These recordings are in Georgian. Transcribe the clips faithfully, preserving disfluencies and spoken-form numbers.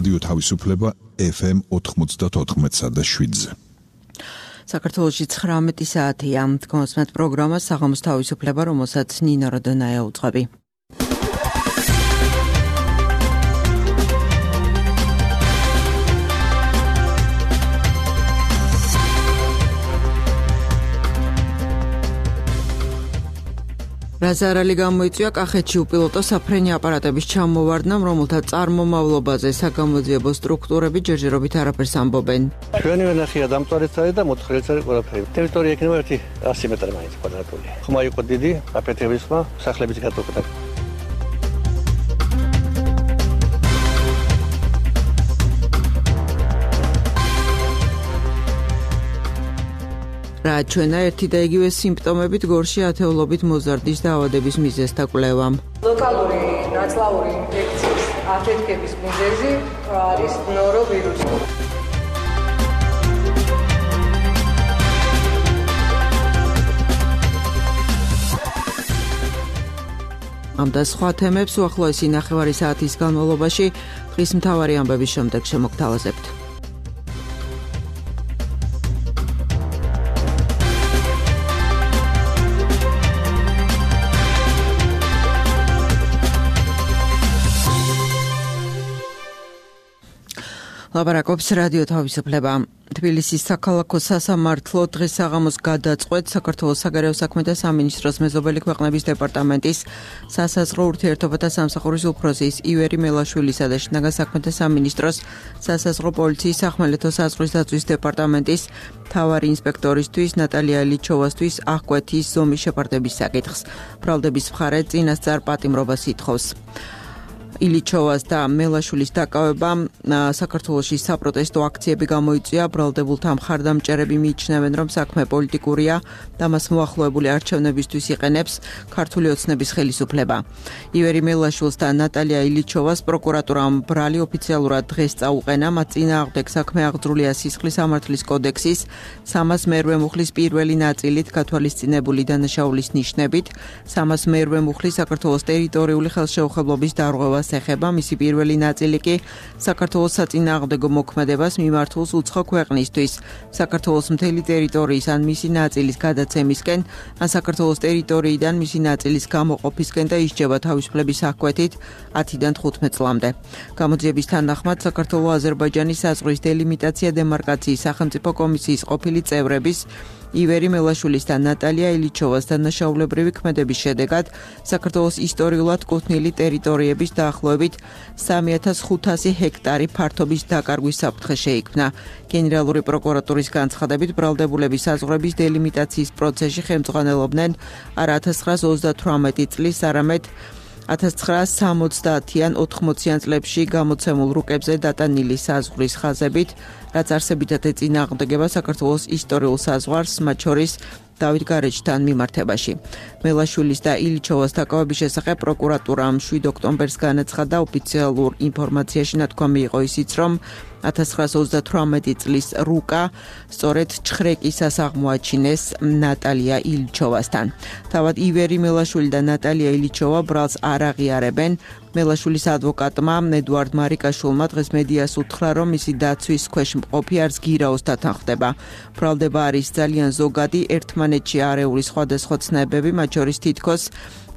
რადიო თავისუფლება ეფ ემ ოთხმოცდაოთხ და შვიდზე. საქართველოში ცხრამეტი საათია. კონსმეთ პროგრამა საღამოს თავისუფლება, რომელსაც ნინო როდონაია უძღვები. რაზარალი გამოიწვია კახეთში უპილოტო საფრენი აპარატების ჩამოვარდნამ, რომელთა წარმომავლობაზე საგამოძიებო სტრუქტურები ჯერჯერობით არაფერს ამბობენ. ჩვენი ვენახია დამწვარიც არის და მოთხრიც არის ყველაფერი. ტერიტორია იქნება ერთი ასი მეტრი მაინც კვადრატული. ხმა იყო დიდი, აფეთქების ხმა, სახლების გატოქდა. რა ჩვენა ერთი და იგივე სიმპტომებით გორში ათეულობით მოზარდის დაავადების მიზეზთა კვლევა. ლოკალური ნაწლავური ინფექციის აფეთქების მიზეზი არის ნოровირუსი. ამ და სხვა თემებს უახლოესი ნახევარი საათის განმავლობაში დღის მთავარი ამბების შემდეგ შემოგთავაზებთ. ლაპარაკობს რადიო თავისუფლება. თბილისის საქალაქო სასამართლო დღეს საღამოს გადაწყვეტ საქართველოს საგარეო საქმეთა სამინისტროს მეზობელი ქვეყნების დეპარტამენტის სასაზღვრო ურთიერთობათა სამსახურის უფროსის ივერი მელაშვილისა და შინაგან საქმეთა სამინისტროს სასაზღვრო პოლიციის სახმელეთო საზღვრის დაცვის დეპარტამენტის მთავარი ინსპექტორისთვის ნატალია ილიჩოვასთვის აღკვეთის ზომის შეფარდების საკითხს. ბრალდების მხარე წინასწარ პატიმრობას ითხოვს. ილიჩოვას და მელაშვილის დაკავება საქართველოში საპროტესტო აქციები გამოიწვია. ბრალდებულთა მხარდამჭერები მიიჩნევენ, რომ საქმე პოლიტიკურია და მას მოახლოებული არჩევნებისთვის იყენებს ქართული ოცნების ხელისუფლება. ივერი მელაშვილს და ნატალია ილიჩოვას პროკურატურამ ბრალი ოფიციალურად დღეს წაუყენა. მათ წინააღმდეგ საქმე აღძრულია სისხლის სამართლის კოდექსის სამას მერვე მუხლის პირველი ნაწილით გათვალისწინებული დანაშაულის ნიშნებით. სამას მერვე მუხლის საქართველოს ტერიტორიული ხელშეუხებლობის დარღვევას ეხება. მისი პირველი ნაწილი კი საქართველოს საწინააღმდეგო მოქმედებას მიმართულს უცხო ქვეყნისთვის, საქართველოს მთელი ტერიტორიის ან მისი ნაწილის გადაცემისკენ, ან საქართველოს ტერიტორიიდან მისი ნაწილის გამოყოფისკენ და ისჯება თავისუფლების აღკვეთით ათიდან თხუთმეტ წლამდე. გამოძიების თანახმად საქართველო-აზერბაიჯანის საზღვრის დელიმიტაცია დემარკაციის სახელმწიფო კომისიის ყოფილი წევრების ივერი მელაშვილის და ნატალია ილიჩოვას დანაშაულებრივი ქმედების შედეგად საქართველოს ისტორიულად კუთვნილი ტერიტორიების დაახლოებით სამი ათას ხუთასი ჰექტარი ფართობის დაკარგვის საფრთხე შეიქმნა. გენერალური პროკურატურის განცხადებით ბრალდებულების საზღვრების დელიმიტაციის პროცესში ხელმძღვანელობდნენ არა ათას ცხრაასა ოცდათვრამეტი წლის, არამედ ათას ცხრაასა სამოცდაათიან ოთხმოციან წლებში გამოცემულ რუკებზე დატანილი საზღვრის ხაზებით, რაც არსებითად ეწინააღმდეგება საქართველოს ისტორიულ საზღვარს, მათ შორის დავით გარეჯთან მიმართებაში. მელაშვილის და ილიჩოვას დაკავების შესახებ პროკურატურამ შვიდ ოქტომბერს განაცხადა. ოფიციალურ ინფორმაციაში ნათქვამი იყო ისიც, რომ ათას ცხრაასა ოცდათვრამეტი წლის რუკა სწორედ ჩხრეკისას აღმოაჩინეს ნატალია ილიჩოვასთან. თავად ივერი მელაშვილი და ნატალია ილიჩოვა ბრალს არ აღიარებენ. მელაშვილის ადვოკატმა ედუარდ მარიკაშვილმა დღეს მედიას უთხრა, რომ მისი დაცვის ქვეშ მყოფი არც გირაოს დათანხმდება. ბრალდება არის ძალიან ზოგადი, ერთმანეთში არეული სხვადასხვა ცნებები, მათ შორის თითქოს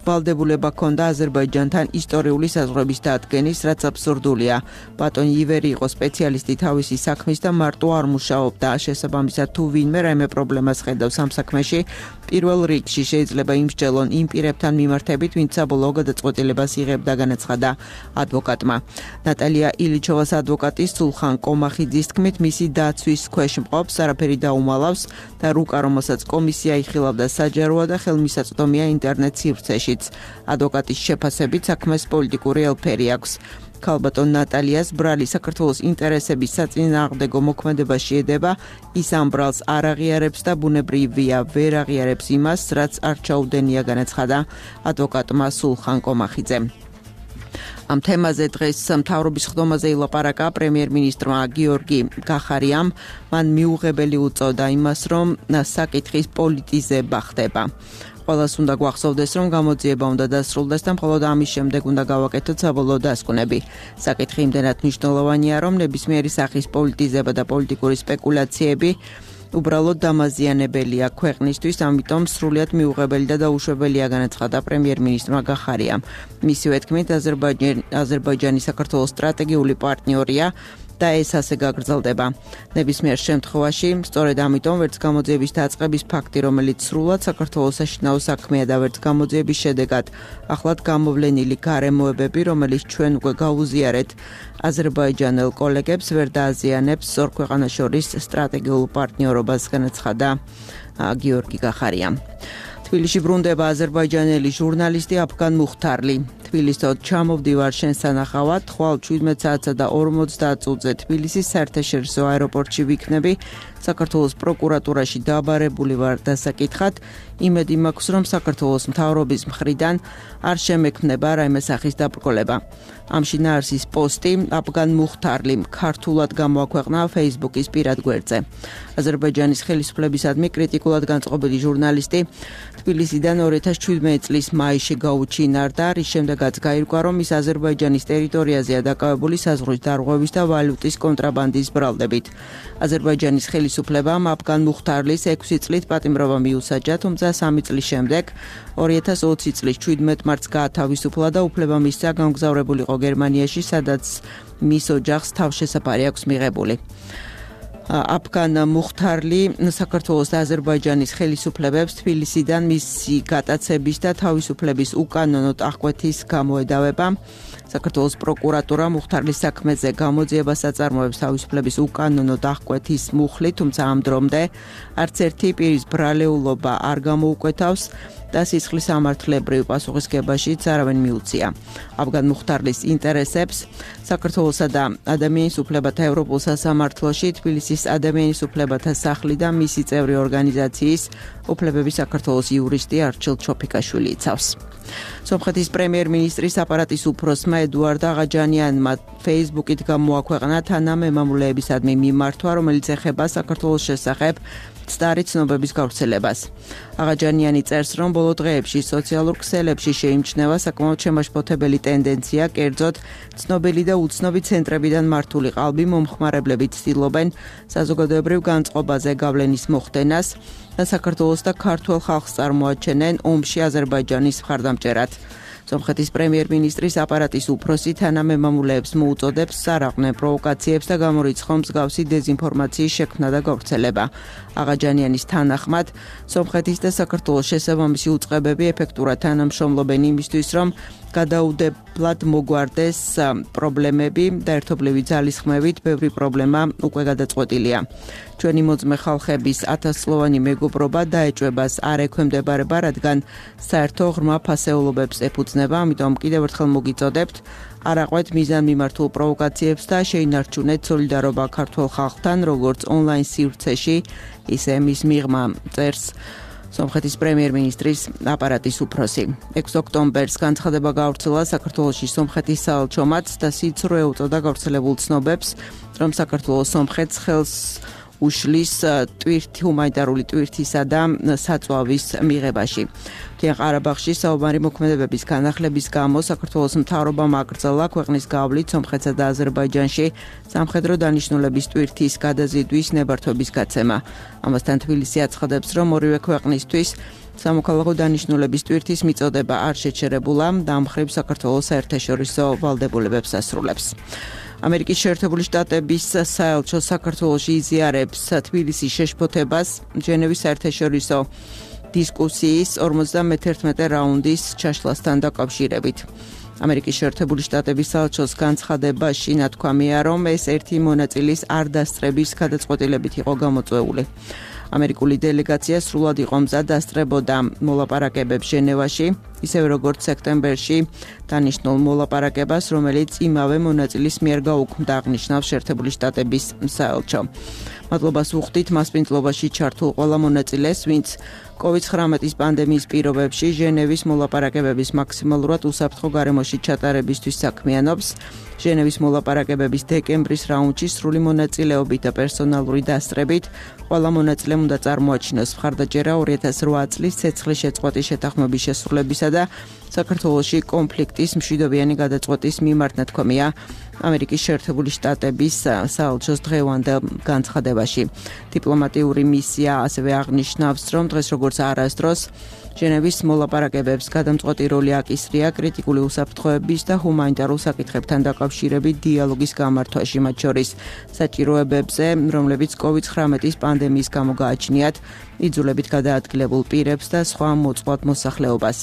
ვალდებულება ჰქონდა აზერბაიჯანთან ისტორიული საზღვრების დადგენის, რაც აბსურდულია. ბატონი ივერი იყო სპეციალისტი თავისი საქმის და მარტო არ მუშაობდა. შესაბამისად, თუ ვინმე რაიმე პრობლემას ხედავს ამ საქმეში, პირველ რიგში შეიძლება იმსჯელონ იმ პირებთან მიმართებით, ვინც საბოლოო გადაწყვეტილებას იღებდა, განაცხადა ადვოკატმა. ნატალია ილიჩოვას ადვოკატის სულხან კომახიძის თქმით, მისი დაცვის ქვეშ მყოფს არაფერი დაუმალავს და რუკა, რომელსაც კომისია იხილავდა, საჯაროა და ხელმისაწვდომია ინტერნეტ სივრცეში. ადვოკატის შეფასებით საქმეს პოლიტიკური ელფერი აქვს. ქალბატონ ნატალიას ბრალი საქართველოს ინტერესების საწინააღმდეგო მოქმედებაში ედება, ის ამ ბრალს არ აღიარებს და ბუნებრივია ვერ აღიარებს იმას, რაც არ ჩაუდენია, განაცხადა ადვოკატმა სულხან კომახიძემ. ამ თემაზე დღეს მთავრობის ხდომაზე ილაპარაკა პრემიერ-მინისტრმა გიორგი გახარიამ. მან მიუღებელი უწოდა იმას, რომ საკითხის პოლიტიზება ხდება. ყველას უნდა გვახსოვდეს, რომ გამოძიება უნდა დასრულდეს და მხოლოდ ამის შემდეგ უნდა გავაკეთოთ საბოლოო დასკვნები. საკითხი იმდენად მნიშვნელოვანია, რომ ნებისმიერი სახის პოლიტიზება და პოლიტიკური სპეკულაციები უბრალოდ დამაზიანებელია ქვეყნისთვის, ამიტომ სრულიად მიუღებელი და დაუშვებელია, განაცხადა პრემიერ-მინისტრმა გახარიამ. მისივე თქმით, აზერბაიჯანი საქართველოს სტრატეგიული პარტნიორია და ეს ასე გაგრძელდება. ნებისმიერ შემთხვევაში, სწორედ ამიტომ ვერც გამოძიების დაწყების ფაქტი, რომელიც სრულად საქართველოს საშინაო საქმეა და ვერც გამოძიების შედეგად ახლად გამოვლენილი გარემოებები, რომელიც ჩვენ უკვე გავუზიარეთ აზერბაიჯანელ კოლეგებს, ვერ დააზიანებს ორ ქვეყანას შორის სტრატეგიულ პარტნიორობას, განაცხადა გიორგი გახარიამ. თბილისში ბრუნდება აზერბაიჯანელი ჟურნალისტი აფგან მუხთარლი. თბილისო, ჩამოვდივარ შენ სანახავად, ხვალ შვიდმეტ საათსა და ორმოცდაათ წუთზე თბილისის საერთაშორისო აეროპორტში ვიქნები. საქართველოს პროკურატურაში დაბარებული ვარ დასაკითხად. იმედი მაქვს, რომ საქართველოს მთავრობის მხრიდან არ შემექმნება რაიმე სახის დაბრკოლება. ამ შინაარსის პოსტი აფგან მუხთარლი ქართულად გამოაქვეყნა Facebook-ის პირად გვერდზე. აზერბაიჯანის ხელისუფლებისადმი კრიტიკულად განწყობილი ჟურნალისტი თბილისიდან ორი ათას შვიდმეტი წლის მაისში გაუჩინარდა, რის შემდეგაც გაირკვა, რომ ის აზერბაიჯანის ტერიტორიაზეა დაკავებული საზღვრის დარღვევის და ვალუტის კონტრაბანდის ბრალდებით. აზერბაიჯანის ხელისუფლებამ აფგან მუხთარლის ექვსი წლით პატიმრობა მიუსაჯა, თუმცა სამი წლის შემდეგ ორი ათას ოცი წლის შვიდმეტ მარტს გაათავისუფლა და უფლება მისცა გამგზავრებულიყო გერმანიაში, სადაც მის ოჯახს თავშესაფარი აქვს მიღებული. აფგან მუხთარლი საქართველოს და აზერბაიჯანის ხელისუფლებებს თბილისიდან მისი გატაცების და თავისუფლების უკანონო აღკვეთის გამოედავება. საქართველოს პროკურატურა მუხთარლის საქმეზე გამოძიებას აწარმოებს თავისუფლების უკანონო აღკვეთის მუხლით, თუმცა ამ დრომდე არც ერთი პირის ბრალეულობა არ გამოუკვეთავს და სისხლის სამართლებრივ პასუხისგებაშიც არავინ მიუწია. აფგან მუხთარლის ინტერესებს საქართველოსა და ადამიანის უფლებათა ევროპულ სასამართლოში თბილისის ადამიანის უფლებათა სახლი და მისი წევრი ორგანიზაციის უფლებების საქართველოს იურისტი არჩილ ჩოფიკაშვილი იცავს. სომხეთის პრემიერ-მინისტრის აპარატის უფროსმა ედუარდ აღაჯანიანმა Facebook-ით გამოაქვეყნა თანამემამულეებისადმი მიმართვა, რომელიც ეხება საქართველოს შესახებ მცდარი ცნობების გავრცელებას. აღაჯანიანი წერს, რომ ბოლო დღეებში სოციალურ ქსელებში შეიმჩნევა საკმაოდ შემაშფოთებელი ტენდენცია, კერძოდ ცნობილი და უცნობი ცენტრებიდან მართული ყალბი მომხმარებლები ცდილობენ საზოგადოებრივ განწყობაზე გავლენის მოხდენას და საქართველოს და ქართულ ხალხს წარმოაჩენენ ომში აზერბაიჯანის მხარდამჭერად. სომხეთის პრემიერ-მინისტრის აპარატის უფროსი თანამემამულეებს მოუწოდებს სარაყვნე პროვოკაციებს და გამორიცხო მსგავსი დეზინფორმაციის შექმნა და გავრცელება. აღაჯანიანის თანახმად, სომხეთის და საქართველოს შესაბამისი უწყებები ეფექტურად თანამშრომლობენ იმისთვის, რომ გადაუდებლად მოგვარდეს პრობლემები და ერთობლივი ძალისხმევით ბევრი პრობლემა უკვე გადაწყვეტილია. ჩვენი მოწმე ხალხების ათასწლოვანი მეგობრობა დაეჭვებას არ ექვემდებარება, რადგან საერთო ღრმა ფასეულობებს ეფუძნება, ამიტომ კიდევ ერთხელ მოგიწოდებთ არ აყვეთ მიზანმიმართულ პროვოკაციებს და შეინარჩუნეთ სოლიდარობა ქართულ ხალხთან, როგორც ონლაინ სივრცეში, ისე მის მიღმა წერს სომხეთის პრემიერ-მინისტრის აპარატის უფროსი. ექვსი ოქტომბერს განცხადება გავრცელა საქართველოში სომხეთის საელჩომაც და სიცრუე უწოდა გავრცელებულ ცნობებს, რომ საქართველოს სომხეთს ხელს უშლის ტვირთი ჰუმანიტარული ტვირთისა და საწვავის მიღებაში. მთიან ყარაბაღში საუბარი მოქმედებების განახლების გამო საქართველოს მთავრობამ აკრძალა ქვეყნის გავლით სომხეთსა და აზერბაიჯანში სამხედრო დანიშნულების ტვირთის გადაზიდვის ნებართვების გაცემა. ამასთან თბილისი აცხადებს, რომ ორივე ქვეყნისთვის სამოქალაქო დანიშნულების ტვირთის მიწოდება არ შეჩერებულა და ამ მხრივ საქართველოს საერთაშორისო ვალდებულებებს ასრულებს. ამერიკის შეერთებული შტატების საელჩო საქართველოში იზიარებს თბილისის შეშფოთებას ჟენევის საერთაშორისო დისკუსიის ორმოცდამეთერთმეტე რაუნდის ჩაშლასთან დაკავშირებით. ამერიკის შეერთებული შტატების საელჩოს განცხადებაში ნათქვამია, რომ ეს ერთი მონაწილის არ დასწრების გადაწყვეტილებით იყო გამოწვეული. ამერიკული დელეგაცია სრულად იყო მზად დასწრებოდა მოლაპარაკებებს ჟენევაში, ისევე როგორც სექტემბერში დანიშნულ მოლაპარაკებას, რომელიც იმავე მონაწილის მიერ გაუქმდა, აღნიშნავს შეერთებული შტატების საელჩო. მადლობას ვუხდით მასპინძლობაში ჩართულ ყველა მონაწილეს, ვინც კოვიდ ცხრამეტის პანდემიის პირობებში ჟენევის მოლაპარაკებების მაქსიმალურად უსაფრთხო გარემოში ჩატარებისთვის საქმიანობს. ჟენევის მოლაპარაკებების დეკემბრის რაუნდში სრული მონაწილეობით და პერსონალური დასწრებით ყველა მონაწილემ უნდა წარმოაჩინოს მხარდაჭერა ორი ათას რვა წლის ცეცხლის შეწყვეტის შეთანხმების შესრულებისა და საქართველოში კონფლიქტის მშვიდობიანი გადაწყვეტის მიმართ, ნათქვამია ამერიკის შეერთებული შტატების საელჩოს დღევანდელ განცხადებაში. დიპლომატიური მისია ასევე აღნიშნავს, რომ დღეს როგორც არასდროს ჟენევის მოლაპარაკებებს გადამწყვეტი როლი აკისრია კრიტიკული უსაფრთხოების და ჰუმანიტარულ საკითხებთან დაკავშირებით დიალოგის გამართვაში, მათ შორის საჭიროებებზე, რომლებიც კოვიდ ცხრამეტის პანდემიის გამო გააჩნიათ იძულებით გადაადგილებულ პირებს და სხვა მოწყვლად მოსახლეობას.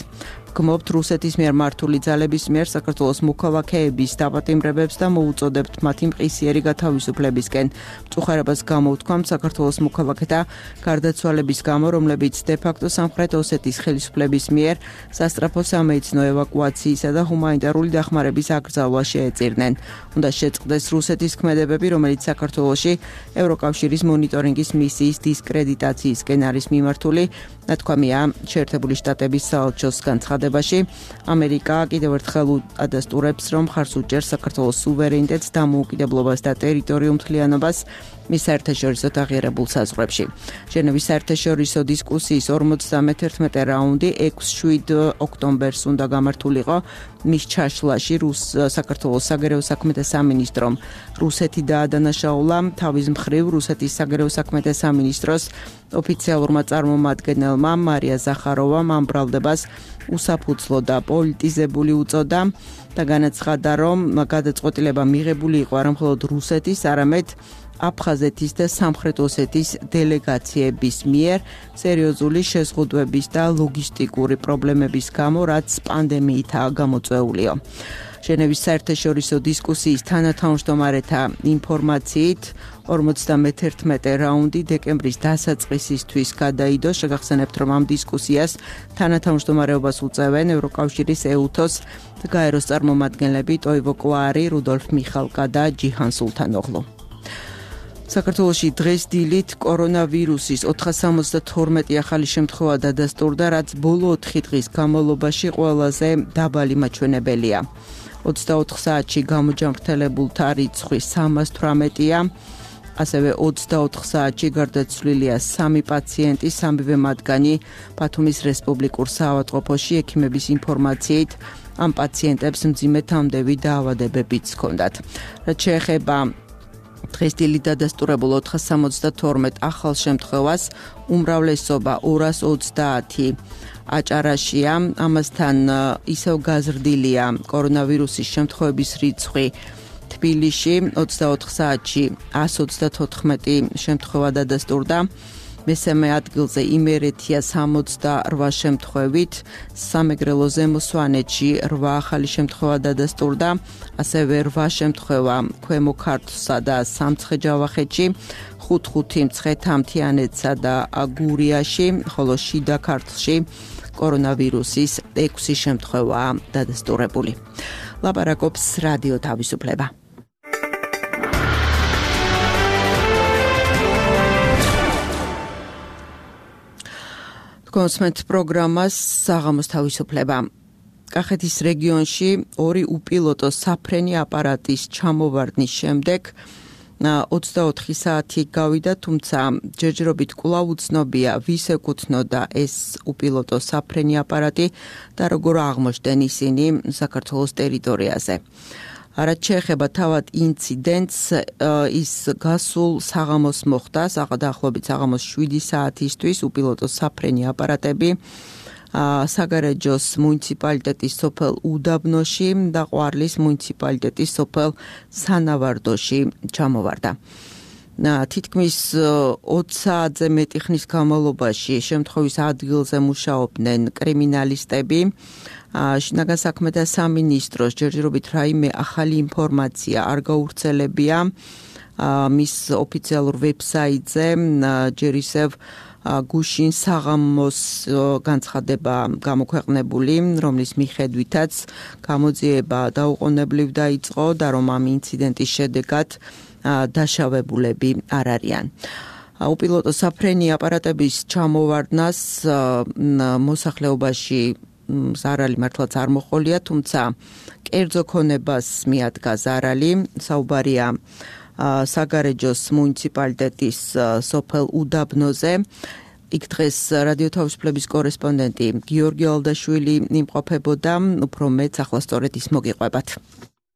გმობთ რუსეთის მიერ მართული ძალების მიერ საქართველოს მოქალაქეების დაპატიმრებებს და მოუწოდებთ მათი მყისიერი გათავისუფლებისკენ. მწუხარებას გამოვთქვამთ საქართველოს მოქალაქეთა გარდაცვალების გამო, რომლებიც დე-ფაქტო სამხრეთ ოსეთის ხელისუფლების მიერ სასწრაფო სამედიცინო ევაკუაციისა და ჰუმანიტარული დახმარების აკრძალვას შეეწირნენ. უნდა შეწყდეს რუსეთის ქმედებები, რომელიც საქართველოში ევროკავშირის მონიტორინგის მისიის დისკრედიტაციისკენ არის მიმართული, ნათქვამია შეერთებული შტატების საელჩოს განცხადებაში. ამერიკა კიდევ ერთხელ ადასტურებს, რომ ხარს უჭერს საქართველოს სუვერენიტეტს, დამოუკიდებლობას და ტერიტორიულ მთლიანობას მის საერთაშორისო აღიარებულ საზღვრებში. ჟენევის საერთაშორისო დისკუსიის ორმოცდამეთერთმეტე რაუნდი ექვსი-შვიდ ოქტომბერს უნდა გამართულიყო. მის ჩაშლაში რუს საქართველოს საგარეო საქმეთა სამინისტრომ რუსეთი დაადანაშაულა. თავის მხრივ რუსეთის საგარეო საქმეთა სამინისტროს ოფიციალურმა წარმომადგენელმა მარია ზახაროვამ ამ ბრალდებას უსაფუძვლო და პოლიტიზებული უწოდა და განაცხადა, რომ გადაწყვეტილება მიღებული იყო არა მხოლოდ რუსეთის, არამედ აფხაზეთის და სამხრეთ ოსეთის დელეგაციების მიერ სერიოზული შეზღუდვების და ლოგისტიკური პრობლემების გამო, რაც პანდემიითაა გამოწვეულიო. ჟენევის საერთაშორისო დისკუსიის თანათავმჯდომარეთა ინფორმაციით ორმოცდამეთერთმეტე რაუნდი დეკემბრის დასაწყისისთვის გადაიდო. შეგახსენებთ, რომ ამ დისკუსიას თანათავმჯდომარეობას უწევენ ევროკავშირის ეუთოს გაეროს წარმომადგენლები ტოივო კლარი, რუდოლფ მიხალკა და ჯიჰან სულთანოღლუ. საქართველოში დღეს დილით კორონავირუსის ოთხას სამოცდათორმეტი ახალი შემთხვევა დადასტურდა, რაც ბოლო ოთხი დღის განმავლობაში ყველაზე დაბალი მაჩვენებელია. ოცდაოთხ საათში გამოჯანმრთელებულთა რიცხვი სამას თვრამეტია. ასევე ოცდაოთხ საათში გარდაცვლილია სამი პაციენტი, სამივე მათგანი ბათუმის რესპუბლიკურ საავადმყოფოში. ექიმების ინფორმაციით ამ პაციენტებს მძიმე თამდევი დაავადებებიც ჰქონდათ. რაც შეეხება დღეს დილით დადასტურებულ ოთხას სამოცდათორმეტ ახალ შემთხვევას, უმრავლესობა ორას ოცდაათი აჭარაშია. ამასთან ისევ გაზრდილია კორონავირუსის შემთხვევების რიცხვი თბილისში. ოცდაოთხ საათში ას ოცდათოთხმეტი შემთხვევა დადასტურდა. მესამე ადგილზე იმერეთია სამოცდარვა შემთხვევით, სამეგრელო ზემო სვანეთში რვა ახალი შემთხვევა დადასტურდა, ასევე რვა შემთხვევა ქვემო ქართლსა და სამცხე-ჯავახეთში, ხუთ-ხუთი მცხეთა-მთიანეთსა და გურიაში, ხოლო შიდა ქართლში კორონავირუსის ექვსი შემთხვევაა დადასტურებული. ლაპარაკობს რადიო თავისუფლება. კონსმენთ პროგრამას საღამოს თავისუფლება. კახეთის რეგიონში ორი უპილოტო საფრენი აპარატის ჩამოვარდნის შემდეგ ოცდაოთხი საათი გავიდა, თუმცა ჯერჯერობით კვლავ უცნობია, ვის ეკუთვნოდა ეს უპილოტო საფრენი აპარატი და როგორ აღმოჩნდნენ ისინი საქართველოს ტერიტორიაზე. რაც შეეხება თავად ინციდენტს, ის გასულ საღამოს მოხდა, დაახლოებით საღამოს შვიდი საათისთვის უპილოტო საფრენი აპარატები საგარეჯოს მუნიციპალიტეტის სოფელ უდაბნოში და ყვარლის მუნიციპალიტეტის სოფელ სანავარდოში ჩამოვარდა. თითქმის ოცდაათზე მეტი ხნის განმავლობაში შემთხვევის ადგილზე მუშაობდნენ კრიმინალისტები. შინაგან საქმეთა სამინისტროს ჯერჯერობით რაიმე ახალი ინფორმაცია არ გავრცელებია მის ოფიციალურ ვებსაიტზე. ჯერ ისევ გუშინ საღამოს განცხადება გამოქვეყნებული, რომლის მიხედვითაც გამოძიება დაუყოვნებლივ დაიწყო და რომ ამ ინციდენტის შედეგად დაშავებულები არ არიან. უპილოტო საფრენი აპარატების ჩამოვარდნას მოსახლეობაში ზარალი მართლაც არ მოჰყოლია, თუმცა კერძო ქონებას მიადგა ზარალი. საუბარია საგარეჯოს მუნიციპალიტეტის სოფელ უდაბნოზე. იქ დღეს რადიო თავისუფლების კორესპონდენტი გიორგი ალდაშვილი იმყოფებოდა, უფრო მეც ახლა სწორედ ის მოგიყვებათ.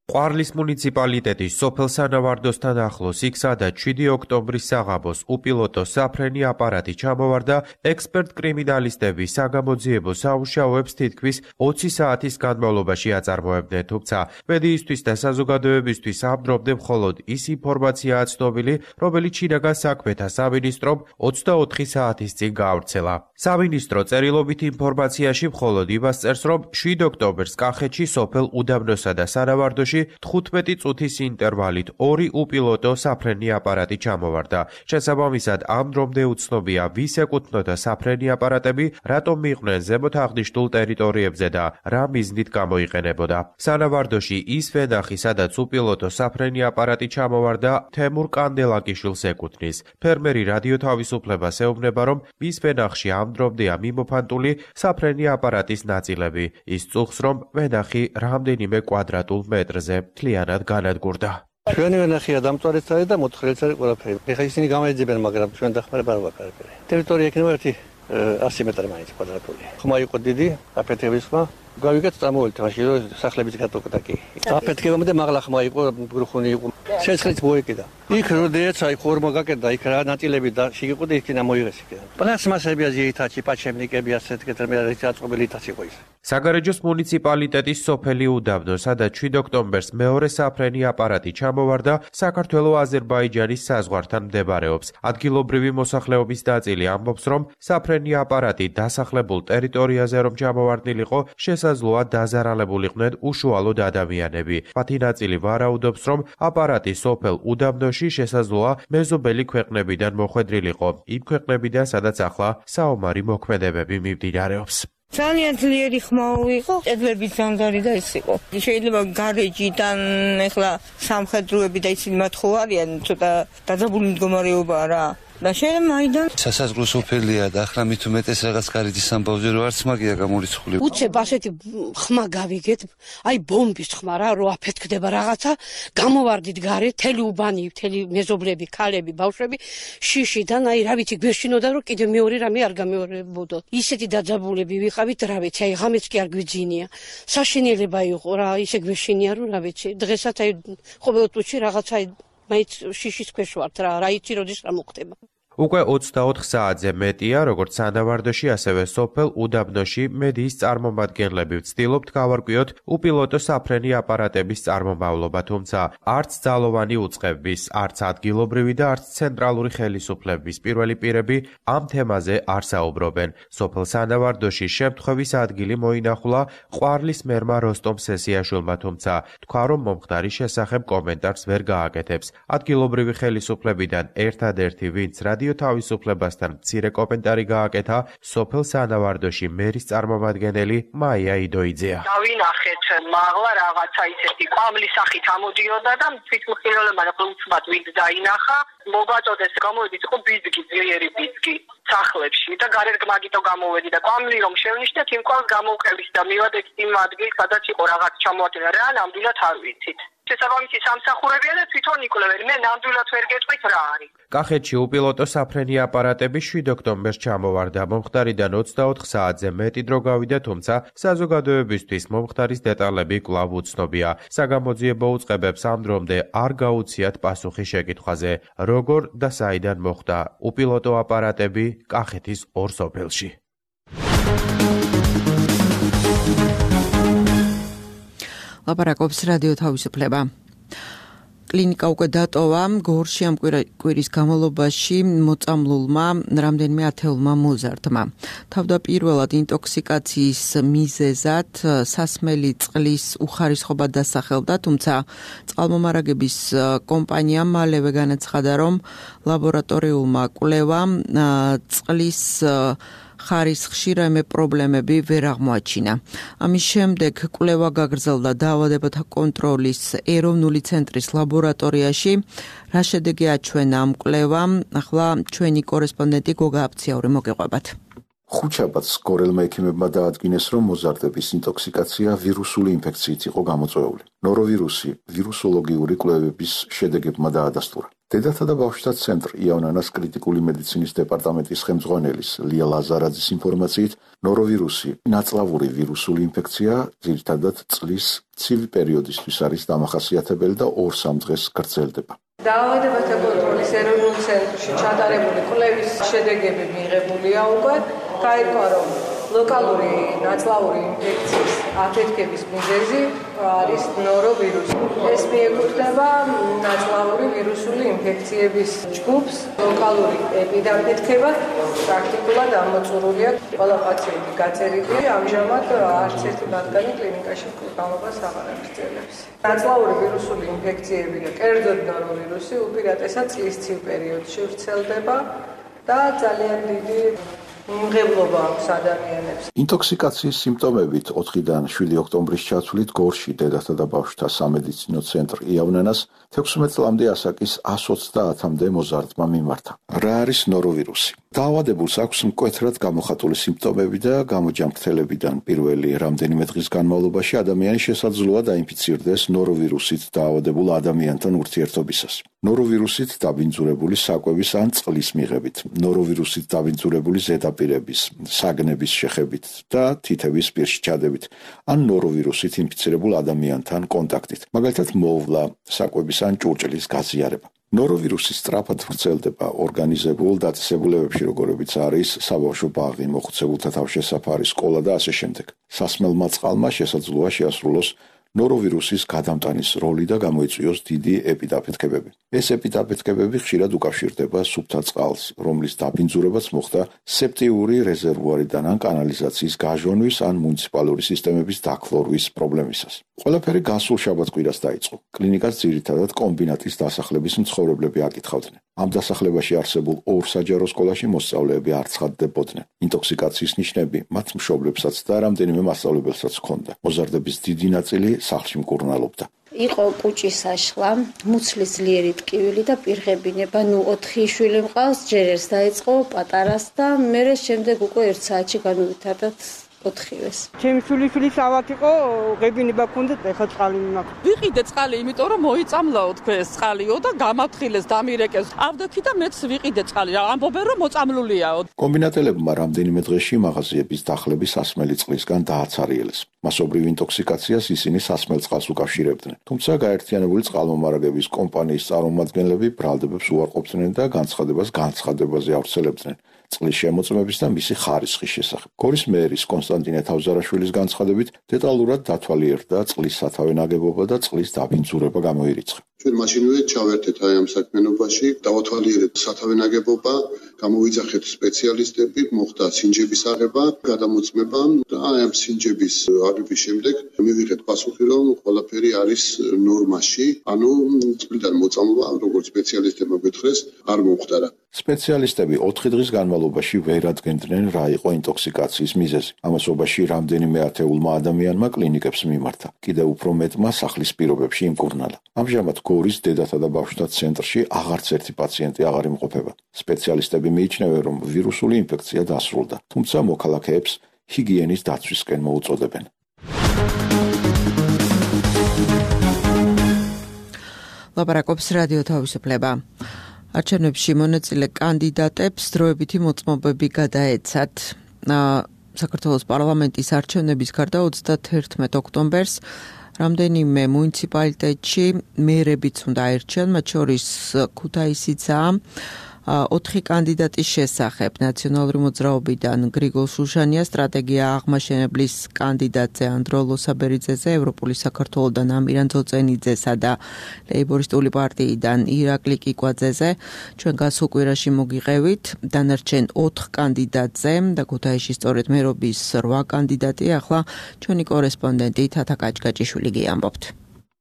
ყვარლის მუნიციპალიტეტის სოფელ სანავარდოსთან ახლოს იქ სადაც შვიდი ოქტომბრის საღამოს უპილოტო საფრენი აპარატი ჩამოვარდა, ექსპერტ კრიმინალისტები საგამოძიებო საუშაოებს თითქმის ოცი საათის განმავლობაში აწარმოებდნენ, თუმცა მედიისთვის და საზოგადოებისთვის ამ დრომდე მხოლოდ ის ინფორმაციაა ცნობილი, რომელიც შინაგან საქმეთა სამინისტრომ ოცდაოთხი საათის წინ გაავრცელა. სამინისტრო წერილობით ინფორმაციაში მხოლოდ იმას წერს, რომ შვიდ ოქტომბერს კახეთში სოფელ უდაბნოსა და სანავარდოში თხუთმეტი წუთის ინტერვალით ორი უპილოტო საფრენი აპარატი ჩამოვარდა. შესაბამისად, ამ დრომდე უცნობია, ვის ეკუთვნოდა საფრენი აპარატები, რატომ მიიყვნენ ზემოთ აღნიშნულ ტერიტორიებზე და რა მიზნით გამოიყენებოდა. სანავარდოში ის ვენახი, სადაც უპილოტო საფრენი აპარატი ჩამოვარდა, თემურ კანდელაკიშვილს ეკუთვნის. ფერმერი რადიო თავისუფლებას ეუბნება, რომ მის ვენახში ამ დრომდეა მიმოფანტული საფრენი აპარატის ნაწილები. ის წუხს, რომ ვენახი რამდენიმე კვადრატულ მეტრზე მთლიანად განადგურდა. ჩვენი ვენახია დამწვარიც არის და მოთხრილიც არის ყველაფერი. ეხლა ისინი გამოეძებენ, მაგრამ ჩვენ დახმარება არ ვაკარებია. ტერიტორია იქნება ერთი ასი მეტრი მაინც კვადრატული. ხმა იყო დიდი, აფეთქების ხმა. გავიგეთ წამოვიდეთ მაშინ რომ სახლებიც გატოკდა კი. აფეთქებამდე მაღლა ხმა იყო, გრუხუნი იყო. შეცხლიც მოეკიდა. იქ როდესაც აი ხორმა გაკეთდა, იქ რა ნაწილები და შეგიყოდა იქიდან მოიღეს იქიდან. პლასმასებია ზეითაჩი, პაჩემნიკები ასეთ კეთრმე არის აწყობილი თაც იყო ის. საგარეჯოს მუნიციპალიტეტის სოფელი უდაბნო, სადაც შვიდ ოქტომბერს მეორე საფრენი აპარატი ჩამოვარდა, საქართველო-აზერბაიჯანის საზღვართან მდებარეობს. ადგილობრივი მოსახლეობის ნაწილი ამბობს, რომ საფრენი აპარატი დასახლებულ ტერიტორიაზე რომ ჩამოვარდნილიყო, შესაძლოა დაზარალებულიყვნენ უშუალოდ ადამიანები. მათი ნაწილი ვარაუდობს, რომ აპარატი სოფელ უდაბნოში შესაძლოა მეზობელი ქვეყნებიდან მოხვედრილიყო, იმ ქვეყნებიდან, სადაც ახლა საომარი მოქმედებები მიმდინარეობს. ძალიან ძლიერი ხმა იყო, კედლების ჯანდარი და ის იყო. შეიძლება გარეჯიდან ეხლა სამხედროები და ისინი მათ ხო არიან, ცოტა დაძაბული მდგომარეობაა რა. და შეიძლება მაიდან სასაზღვრო სოფელია და ახლა მით უმეტეს რაღაც კარიძის ამბავზე რო არც მაგია გამორიცხული. უცებ ასეთი ხმა გავიგეთ, აი ბომბის ხმა რა, რო აფეთქდება რაღაცა, გამოვარდით გარე, თელი უბანი, თელი მეზობლები, ქალები, ბავშვები, შიშიდან, აი რა ვიცი, გვეშინოდა რომ კიდე მეორე რამე არ გამეორებოდო. ისეთი დაძაბულები ვიყავით, რა ვიცი, აი ღამეც კი არ გვიძინია. საშინელება იყო რა, ისე გვეშინია რომ რა ვიცი, დღესაც აი ყოველ წუთში რაღაცა მაინც შიშის ქვეშ ვართ რა, რა იცი როდის რა მოხდება. უკვე ოცდაოთხ საათზე მეტია, როგორც სანავარდოში, ასევე სოფელ უდაბნოში მედიის წარმომადგენლები ვცდილობთ გავარკვიოთ უპილოტო საფრენი აპარატების წარმომავლობა, თუმცა არც ძალოვანი უწყების, არც ადგილობრივი და არც ცენტრალური ხელისუფლების პირველი პირები ამ თემაზე არ საუბრობენ. სოფელ სანავარდოში შემთხვევის ადგილი მოინახულა ყვარლის მერმა როსტომ სესიაშვილმა, თუმცა თქვა, რომ მომხდარის შესახებ კომენტარს ვერ გააკეთებს. ადგილობრივი ხელისუფლებიდან ერთადერთი, ვინც რადიო თავისუფლებასთან მცირე კომენტარი გააკეთა, სოფელ სანავარდოში მერის წარმომადგენელი მაია იდოიძეა. დავინახეთ მაღლა რაღაცა ისეთი ყვამლის სახით ამოდიოდა და თვითმხილველებმა უცბად ვინც დაინახა, მოგაწოდეს გამოვედით, იყო ბიძგი, ძლიერი ბიძგი სახლებში და გარერგმაგიტო გამოვედი და ყვამლი რომ შევნიშნეთ, იმ ყვამს გამოვყევით და მივედით იმ ადგილს, სადაც იყო რაღაც ჩამოატენა, რა ნამდვილად არ ვიცით. შესაბამისი სამსახურებია და თვითონ იკვლევენ. მე ნამდვილად ვერ გეტყვით რა არის. კახეთში უპილოტო საფრენი აპარატები შვიდ ოქტომბერს ჩამოვარდა. მომხდარიდან ოცდაოთხ საათზე მეტი დრო გავიდა, თუმცა საზოგადოებისთვის მომხდარის დეტალები კვლავ უცნობია. საგამოძიებო უწყებებს ამ დრომდე არ გაუციათ პასუხი შეკითხვაზე, როგორ და საიდან მოხდა უპილოტო აპარატები კახეთის ორ სოფელში. ლაპარაკობს რადიო თავისუფლება. კლინიკა უკვე დატოვა გორში ამ კვირის განმავლობაში მოწამლულმა რამდენიმე ათეულმა მოზარდმა. თავდაპირველად ინტოქსიკაციის მიზეზად სასმელი წყლის უხარისხობა დასახელდა, თუმცა წყალმომარაგების კომპანიამ მალევე განაცხადა, რომ ლაბორატორიულმა კვლევამ წყლის ხარისხში რაიმე პრობლემები ვერ აღმოაჩინა. ამის შემდეგ კვლევა გაგრძელდა დაავადებათა კონტროლის ეროვნული ცენტრის ლაბორატორიაში. რა შედეგი აჩვენა ამ კვლევამ? ახლა ჩვენი კორესპონდენტი გოგა აფციაური მოგეყვებათ. ხუთშაბათს გორელმა ექიმებმა დაადგინეს, რომ მოზარდების ინტოქსიკაცია ვირუსული ინფექციით იყო გამოწვეული. ნოროვირუსი ვირუსოლოგიური კვლევების შედეგებმა დაადასტურა. დედათა და ბავშვთა ცენტრ იავნანას კრიტიკული მედიცინის დეპარტამენტის ხელმძღვანელის ლია ლაზარაძის ინფორმაციით, ნოროვირუსი ნაწლავური ვირუსული ინფექცია ძირითადად წლის ცივი პერიოდისთვის არის დამახასიათებელი და ორ-სამ დღეს გრძელდება. დაავადებათა კონტროლის ეროვნულ ცენტრში ჩატარებული კვლევის შედეგები მიღებულია უკვე. გაირკვა, რომ ლოკალური ნაწლავური ინფექციის აფეთქების მიზეზი არის ნოროვირუსი. ეს მიეკუთვნება ნაწლავური ვირუსული ინფექციების ჯგუფს. ლოკალური ეპიდაფეთქება პრაქტიკულად ამოწურულია. ყველა პაციენტი გაწერილია. ამჟამად არც ერთი მათგანი კლინიკაში მკურნალობას აღარ აღწევს. ნაწლავური ვირუსული ინფექციები და კერძოდ ნოროვირუსი უპირატესად წლის ცივ პერიოდში ვრცელდება და ძალიან დიდი მიმღებლობა აქვს ადამიანებს. ინტოქსიკაციის სიმპტომებით ოთხიდან შვიდი ოქტომბრის ჩათვლით გორში დედათა და ბავშვთა სამედიცინო ცენტრ იავნანას თექვსმეტ წლამდე ასაკის ას ოცდაათამდე მოზარდმა მიმართა. რა არის ნოროვირუსი? დაავადებულს აქვს მკვეთრად გამოხატული სიმპტომები და გამოჯანმრთელებიდან პირველი რამდენიმე დღის განმავლობაში ადამიანი შესაძლოა დაინფიცირდეს ნოროვირუსით დაავადებულ ადამიანთან ურთიერთობისას. ნოროვირუსით დაბინძურებული საკვების ან წყლის მიღებით, ნოროვირუსით დაბინძურებული ზედაპირების, საგნების შეხებით და თითების პირში ჩადებით, ან ნოროვირუსით ინფიცირებულ ადამიანთან კონტაქტით, მაგალითად მოვლა, საკვების ან ჭურჭლის გაზიარება. ნოროვირუსი სწრაფად ვრცელდება ორგანიზებულ დაწესებულებებში, როგორებიც არის საბავშვო ბაღი, მოხუცებულთა თავშესაფარი, სკოლა და ასე შემდეგ. სასმელმა წყალმა შესაძლოა შეასრულოს ნოროვირუსის გადამტანის როლი და გამოიწვიოს დიდი ეპიდაფეთქებები. ეს ეპიდაფეთქებები ხშირად უკავშირდება სუფთა წყალს, რომლის დაბინძურებაც მოხდა სეპტიური რეზერვუარიდან ან კანალიზაციის გაჟონვის ან მუნიციპალური სისტემების დაქლორვის პრობლემისას. ყველაფერი გასულ შაბათ-კვირას დაიწყო. კლინიკას ძირითადად კომბინატის დასახლების მცხოვრებლები აკითხავდნენ. ამ დასახლებაში არსებულ ორ საჯარო სკოლაში მოსწავლეები არ ცხადდებოდნენ. ინტოქსიკაციის ნიშნები მათ მშობლებსაც და რამდენიმე მასწავლებელსაც ჰქონდა. მოზარდების დიდი ნაწილი სახლში მკურნალობდა. იყო კუჭის აშხლა, მუცლის ძლიერი ტკივილი და პირღებინება. ნუ ოთხი შვილი მყავს, ჯერ ერთს დაიწყო პატარას და მერე შემდეგ უკვე ერთ საათში განუვითარდათ ოთხივეს. ჩემი შვილიშვილის ავად იყო, ღებინება ქონდა, ეხლა წყალი მაქვს. ვიყიდე წყალი, იმიტომ რომ მოიწამლაო თქვენ ეს წყალიო და გამათხილეს, დამირეკეს. ავდექი და მეც ვიყიდე წყალი. ამბობენ რომ მოწამლულიაო. კომბინატელებმა რამდენიმე დღეში მაღაზიების დახლები სასმელი წყლისგან დააცარიელეს. მასობრივ ინტოქსიკაციას ისინი სასმელ წყალს უკავშირებდნენ. თუმცა გაერთიანებული წყალმომარაგების კომპანიის წარმომადგენლები ბრალდებებს უარყოფდნენ და განცხადებას განცხადებაზე ავრცელებდნენ. წყლის შემოწმების და მისი ხარისხის შესახებ. გორის მერის კონსტანტინე თავზარაშვილის განცხადებით, დეტალურად დათვალიერდა წყლის სათავე ნაგებობა და წყლის დაბინძურება გამოირიცხა. ჩვენ მაშინვე ჩავერთეთ აი ამ საქმიანობაში, დავათვალიერეთ სათავე ნაგებობა, გამოვიძახეთ სპეციალისტები, მოხდა სინჯების აღება, გადამოწმება და აი ამ სინჯების აღების შემდეგ მივიღეთ პასუხი, რომ ყველაფერი არის ნორმაში, ანუ წყლიდან მოწამლვა, როგორც სპეციალისტებმა გითხრეს, არ მომხდარა. სპეციალისტები ოთხი დღის განმავლობაში ვერ ადგენდნენ რა იყო ინტოქსიკაციის მიზეზი. ამასობაში რამდენიმე ათეულმა ადამიანმა კლინიკებს მიმართა. კიდევ უფრო მეტმა სახლის პირობებში იმკურნალა. ამჟამად გორის დედათა და ბავშვთა ცენტრში აღარც ერთი პაციენტი აღარ იმყოფება. სპეციალისტები მიიჩნევენ, რომ ვირუსული ინფექცია დასრულდა, თუმცა მოქალაქეებს ჰიგიენის დაცვისკენ მოუწოდებენ. ლაპარაკობს რადიო თავისუფლება. არჩევნებში მონაწილე კანდიდატებს დროებითი მოწმობები გადაეცათ. საქართველოს პარლამენტის არჩევნების გარდა ოცდათერთმეტ ოქტომბერს რამდენიმე მუნიციპალიტეტში მერებიც უნდა აირჩიონ, მათ შორის ქუთაისიცაა. ოთხი კანდიდატის შესახებ. ნაციონალური მოძრაობიდან გრიგოლ შუშანია, სტრატეგია აღმაშენებლის კანდიდატზე ანდრო ლოსაბერიძეზე, ევროპული საქართველოსდან ამირან ძოწენიძესა და ლეიბორისტული პარტიიდან ირაკლი კიკვაძეზე. ჩვენ გასულ კვირაში მოგიყევით დანარჩენ ოთხ კანდიდატზე და ქუთაისში სწორედ მერობის რვა კანდიდატი. ახლა ჩვენი კორესპონდენტი თათა კაჭკაჭიშვილი გიამბობთ.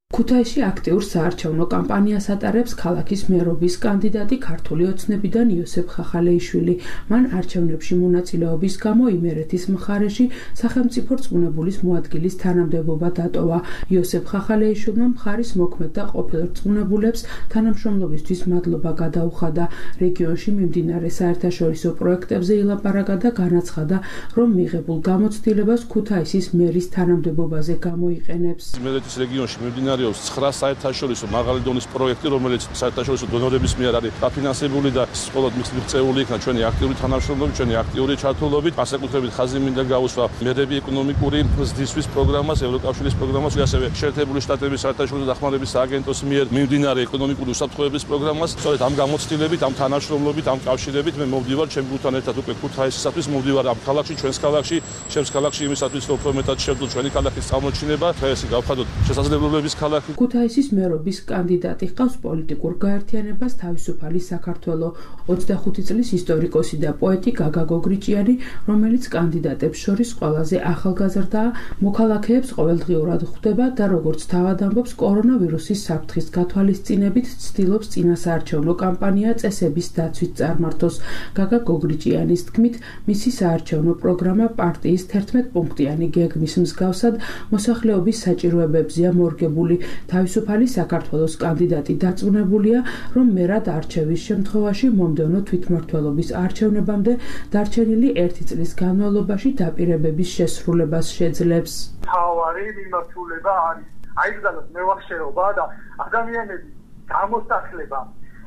ქუთაისში აქტიურ საარჩევნო კამპანიას ატარებს ქალაქის მერობის კანდიდატი ქართული ოცნებიდან იოსებ ხახალეიშვილი. მან არჩევნებში მონაწილეობის გამო იმერეთის მხარეში სახელმწიფო რწმუნებულის მოადგილის თანამდებობა დატოვა. იოსებ ხახალეიშვილმა მხარის მოქმედ და ყოფილ რწმუნებულებს თანამშრომლობისთვის მადლობა გადაუხადა. რეგიონში მიმდინარე საერთაშორისო პროექტებზე ილაპარაკა და განაცხადა, რომ მიღებულ გამოცდილებას ქუთაისის მერის თანამდებობაზე გამოიყენებს. იმერეთის რეგიონში მიმდინარე ცხრა საერთაშორისო მაღალი დონის პროექტი, რომელიც საერთაშორისო დონორების მიერ არის დაფინანსებული და მხოლოდ მიღწეული იქნა ჩვენი აქტიური თანამშრომლობით, ჩვენი აქტიური ჩართულობით, განსაკუთრებით ხაზი მინდა გაუსვა მერები ეკონომიკური ზრდისთვის პროგრამას, ევროკავშირის პროგრამას, ასევე შეერთებული შტატების საერთაშორისო დახმარების სააგენტოს მიერ მიმდინარე ეკონომიკური უსაფრთხოების პროგრამას. სწორედ ამ გამოცდილებით, ამ თანამშრომლობით, ამ კავშირებით მე მოვდივარ ჩემ გუნდთან ერთად უკვე ქუთაისისათვის, მოვდივარ ამ ქალაქში, ჩვენს ქალაქში, ჩემს ქალაქში იმისათვის, რომ უფრო მეტად შევძლო ჩვენი ქალაქის წარმოჩინება, დღეს გავხადოთ შესაძლებლობების ქუთაისის მერობის კანდიდატი ჰყავს პოლიტიკურ გაერთიანებას თავისუფალი საქართველო. ოცდახუთი წლის ისტორიკოსი და პოეტი გაგა გოგრიჭიანი, რომელიც კანდიდატებს შორის ყველაზე ახალგაზრდაა, მოქალაქეებს ყოველდღიურად ხვდება და როგორც თავად ამბობს, კორონავირუსის საფრთხის გათვალისწინებით ცდილობს წინასაარჩევნო კამპანია წესების დაცვით წარმართოს. გაგა გოგრიჭიანის თქმით, მისი საარჩევნო პროგრამა პარტიის თერთმეტ-პუნქტიანი გეგმის მსგავსად მოსახლეობის საჭიროებებზეა მორგებული. თავისუფალი საქართველოს კანდიდატი დარწმუნებულია, რომ მერად არჩევის შემთხვევაში მომდევნო თვითმმართველობის არჩევნებამდე დარჩენილი ერთი წლის განმავლობაში დაპირებების შესრულებას შეძლებს. თავარი მიმართულება არის აიგზავნოს მევახშეობა და ადამიანების გამოსახლება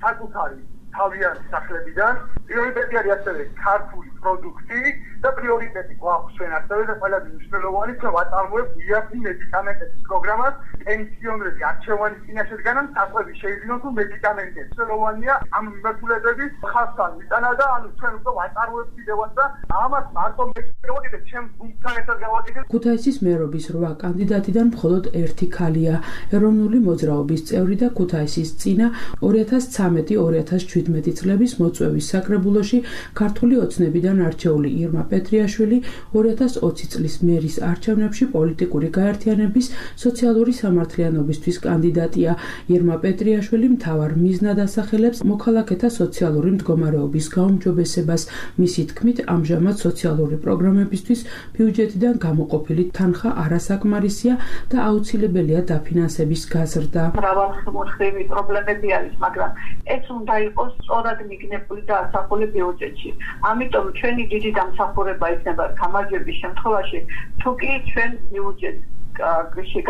საკუთარი თავიანთი სახლებიდან. პრიორიტეტი არის ასევე ქართული პროდუქტი და პრიორიტეტი გვაქვს ჩვენ ასევე და ყველაზე მნიშვნელოვანი ჩვენ ვაწარმოებთ იაფი მედიკამენტების პროგრამას. პენსიონერები არჩევანის წინაშედგანან საკვები შეიძლება თუ მედიკამენტები მნიშვნელოვანია ამ მიმართულებების ხასთან მიტანა და ანუ ჩვენ უკვე ვაწარმოებთ კიდევაც და ამას მარტო მეკითხება ჩემს გუნდთან ერთად გავაკეთებ. ქუთაისის მერობის რვა კანდიდატიდან მხოლოდ ერთი ქალია. ეროვნული მოძრაობის წევრი და ქუთაისის წინა ორი ათას ცხრამეტი ორი ათას შვიდმეტი წლების მოწვევის საკრებულოში ქართული ოცნებიდან არჩეული ირმა პეტრიაშვილი ორი ათას ოცი წლის მერის არჩევნებში პოლიტიკური გაერთიანების სოციალური სამართლიანობისთვის კანდიდატია. ირმა პეტრიაშვილი მთავარ მიზნად ასახელებს მოქალაქეთა სოციალური მდგომარეობის გაუმჯობესებას. მისი თქმით, ამჟამად სოციალური პროგრამებისთვის ბიუჯეტიდან გამოყოფილი თანხა არასაკმარისია და აუცილებელია დაფინანსების გაზრდა. მრავალმხრივი პრობლემები არის, მაგრამ ეს უნდა იყოს სწორად მიგნებული და ასახული ბიუჯეტში. ამიტომ ჩვენი დიდი დამსახურება იქნება გამარჯვების შემთხვევაში, თუ კი ჩვენ ბიუჯეტს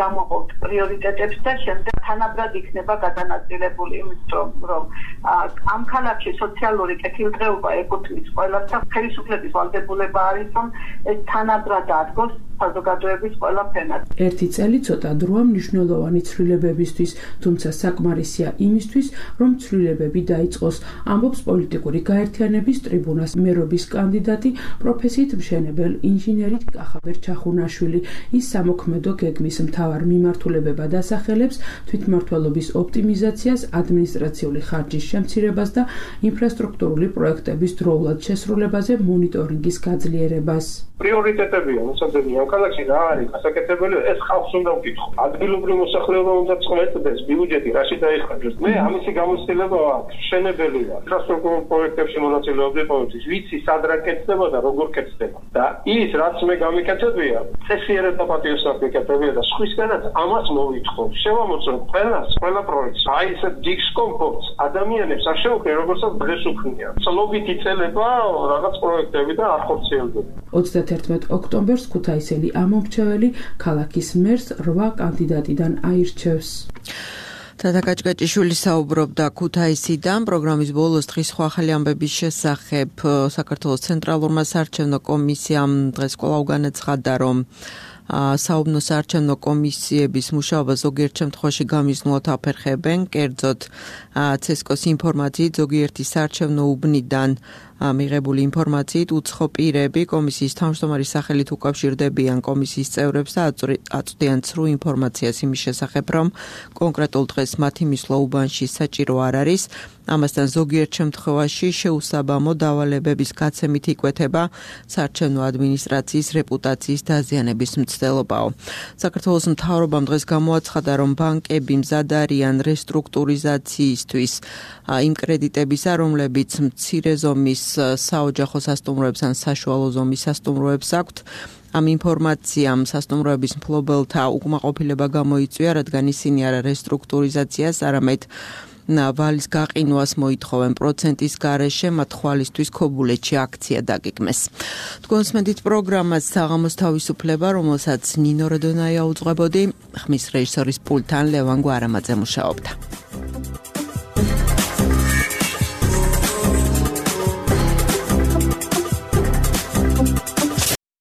გამოყოფთ პრიორიტეტებს და შემდეგ თანაბრად იქნება გადანაწილებული, იმიტომ რომ ამ ქალაქში სოციალური კეთილდღეობა ეკუთვნის ყველას და ხელისუფლების ვალდებულება არის, რომ ეს თანაბრად ადგოს საზოგადოების ყველა ფენად. ერთი წელი ცოტა დროა მნიშვნელოვანი ცვლილებებისთვის, თუმცა საკმარისია იმისთვის, რომ ცვლილებები დაიწყოს, ამბობს პოლიტიკური გაერთიანების ტრიბუნას მერობის კანდიდატი, პროფესიით მშენებელ ინჟინერი კახაბერ ჩახუნაშვილი. ის სამოქმედო გეგმის მთავარ მიმართულებებად ასახელებს თვითმმართველობის ოპტიმიზაციას, ადმინისტრაციული ხარჯის შემცირებას და ინფრასტრუქტურული პროექტების დროულად შესრულებაზე მონიტორინგის გაძლიერებას. პრიორიტეტებია მოსაძებნი ამ ქალაქში რა არის გასაკეთებელი, ეს ხალხს უნდა ვკითხო. ადგილობრივ მოსახლეობა უნდა წყვეტდეს, ბიუჯეტი რაში დაიხარჯოს. მე ამისი გამოცდილება აქვს, მშენებელია. ინფრასტრუქტურულ პროექტებში მონაწილეობდი ყოველთვის, ვიცი სად რა კეთდება და როგორ კეთდება. და ის რაც მე გამიკეთებია, წესიერად და პატიოსად მიკეთებია და სხვისგანაც ამას მოვითხოვ. შევამოწმო ყველას, ყველა პროექტს. აი ეს დისკომფორტს ადამიანებს არ შეუქმნია, როგორცაც დღეს უქმნია. ცლობით იწელება რაღაც პროექტები და არ ხორციელდება. ოცდათერთმეტ ოქტომბერს ქუთაისელი ამომრჩეველი ქალაქის მერს რვა კანდიდატიდან აირჩევს. თათა კაჭკაჭიშვილი საუბრობდა ქუთაისიდან. პროგრამის ბოლოს დღის სხვა ახალი ამბების შესახებ საქართველოს ცენტრალურმა საარჩევნო კომისიამ დღეს კვლავ განაცხადა, რომ საუბნო საარჩევნო კომისიების მუშაობა ზოგიერთ შემთხვევაში გამიზნულად აფერხებენ, კერძოდ ცესკოს ინფორმაციით ზოგიერთი საარჩევნო უბნიდან მიღებული ინფორმაციით უცხო პირები კომისიის თავმჯდომარის სახელით უკავშირდებიან კომისიის წევრებს და აწვდიან ცრუ ინფორმაციას იმის შესახებ, რომ კონკრეტულ დღეს მათი მისვლა უბანში საჭირო არ არის. ამასთან ზოგიერთ შემთხვევაში შეუსაბამო დავალებების გაცემით იკვეთება საარჩევნო ადმინისტრაციის რეპუტაციის დაზიანების მცდელობაო. საქართველოს მთავრობამ დღეს გამოაცხადა, რომ ბანკები მზად არიან რესტრუქტურიზაციისთვის იმ კრედიტებისა, რომლებიც მცირე ზომის საოჯახო სასტუმროებს ან საშუალო ზომის სასტუმროებს აქვთ. ამ ინფორმაციამ სასტუმროების მფლობელთა უკმაყოფილება გამოიწვია, რადგან ისინი არა რესტრუქტურიზაციას, არამედ ვალის გაყინვას მოითხოვენ პროცენტის გარეშე, მათ ხვალისთვის ქობულეთში აქცია დაგეგმეს. თქვენს მედით პროგრამას საღამოს თავისუფლება, რომელსაც ნინო როდონაია უძღვებოდი, ხმის რეჟისორის პულტთან ლევან გვარამაძე მუშაობდა.